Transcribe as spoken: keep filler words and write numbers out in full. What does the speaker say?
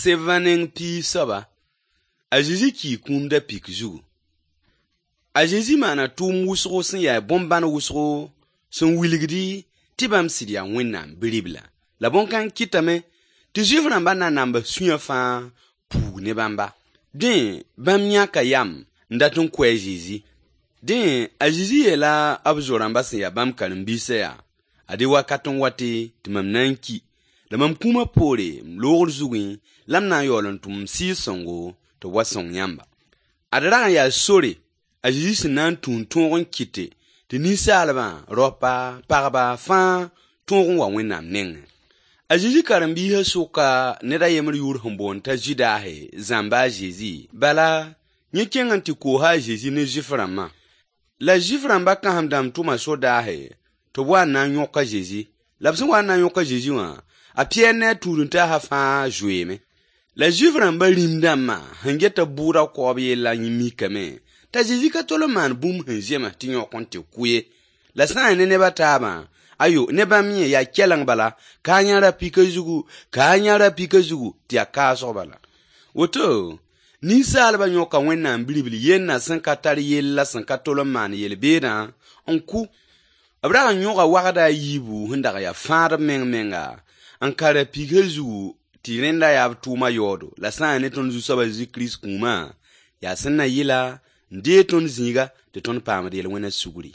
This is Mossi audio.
Sevã neng piig soaba, a Zezi kii kũum da-pik zugu. A Zezi maana tʋʋm wʋsgo sẽn yaa bõn-bãn wʋsgo sẽn wilgdi tɩ bãmb sɩd yaa Wẽnnaam Bi-ribla. La bõn-kãng kɩtame tɩ Zuif rãmbã nanamba sũyã fãa puug ne bãmba. Dẽ, bãmb yãka yam n dat n kʋ a Zezi. Dẽ, a Zezi yeela b zo-rãmbã sẽn ya bãmb karen-biisã yaa: Ad-y wakat n wate tɩ mam na n ki, la mam kũumã poore, m loogr zugẽ la m na n yaool n tʋm m Sɩɩg-sõngo tɩ b wa sõng yãmba. Ad rag n yaa sore a Zezi sẽn na n tũ n tõog n kɩte tɩ ninsaalbã, raopa, pagba fãa tõog n wa Wẽnnaam nengẽ. A Zezi karen-biisã sʋka ned a yembr yʋʋr sẽn boond t'a Zudase zãmba a Zezi. Bala, yẽ kẽng n tɩ koosa a Zezi ne Zuif rãmbã. La Zuif rãmbã kãsem-dãmb tʋma sodaase tɩ b wa n na n yõk a Zezi. La b sẽn wa n na n yõk a Zezi wã, a Pɩyɛɛr ne a tũud-n-taasã fãa zoeeme. La Zuif rãmbã rĩm-dãmbã sẽn get b bʋʋda kaoob yellã mikame t'a Zezi ka tol n maan bũmb sẽn zems tɩ yõk n tɩ kʋ ye. La sã n yaa ne neb a taabã, ayo, ne bãmb yẽ yaa kɛleng bala, ka a yã ra-pika zugu, ka a yã ra-pika zugu, tɩ yaa kaasg bala. Woto, ninsaalbã yõka Wẽnnaam Bi-ribl yennã sẽn ka tar yell la sẽn ka tol n maan yel-beedã n kʋ. B rag n yõga wagda a yiibu sẽn dag yaa fãadb meng menga n ka ra-pika zugu tɩ rẽnda yaa b tʋʋma yaoodo. La sã n yaa ne tõnd Zu-soab a Zezi Kirist kũumã, yaa sẽn na yɩla n deeg tõnd zĩiga tɩ tõnd paamd yel-wẽnã sugri.